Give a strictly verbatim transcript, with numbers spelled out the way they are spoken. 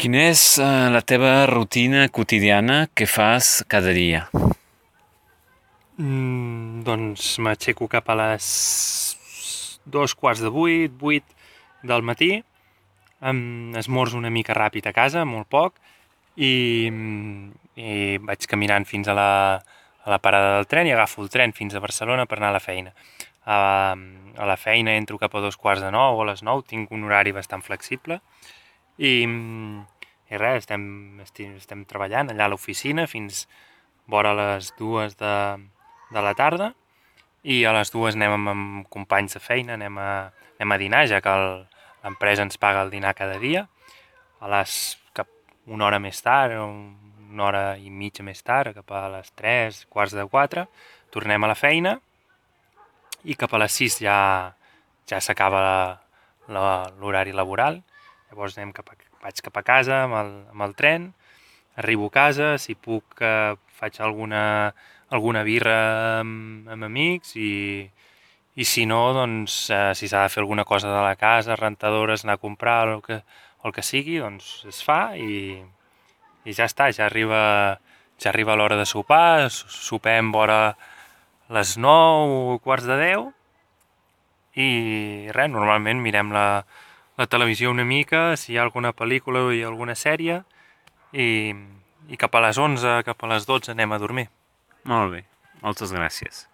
Quina és eh, la teva rutina quotidiana que fas cada dia? Mm, doncs m'aixeco cap a les dos quarts de vuit, vuit del matí, em esmorzo una mica ràpid a casa, molt poc, i, i vaig caminant fins a la, a la parada del tren i agafo el tren fins a Barcelona per anar a la feina. A, a la feina entro cap a dos quarts de nou o a les nou, tinc un horari bastant flexible i, i res, estem, estem, estem treballant allà a l'oficina fins vora les dues de, de la tarda i a les dues anem amb, amb companys de feina, anem a, anem a dinar, ja que l'empresa ens paga el dinar cada dia. A les cap una hora més tard, una hora i mitja més tard, cap a les tres, quarts de quatre, tornem a la feina i cap a les sis ja, ja s'acaba l'horari laboral. Llavors anem cap a, vaig cap a casa amb el, amb el tren, arribo a casa, si puc eh, faig alguna, alguna birra amb, amb amics i, i si no, doncs, eh, si s'ha de fer alguna cosa de la casa, rentadores, anar a comprar, el que, el que sigui, doncs es fa i, i ja està, ja arriba, ja arriba l'hora de sopar, sopem vora les nou, quarts de deu, i res, normalment mirem la, la televisió una mica, si hi ha alguna pel·lícula o hi ha alguna sèrie, i, i cap a les onze, cap a les dotze anem a dormir. Molt bé, moltes gràcies.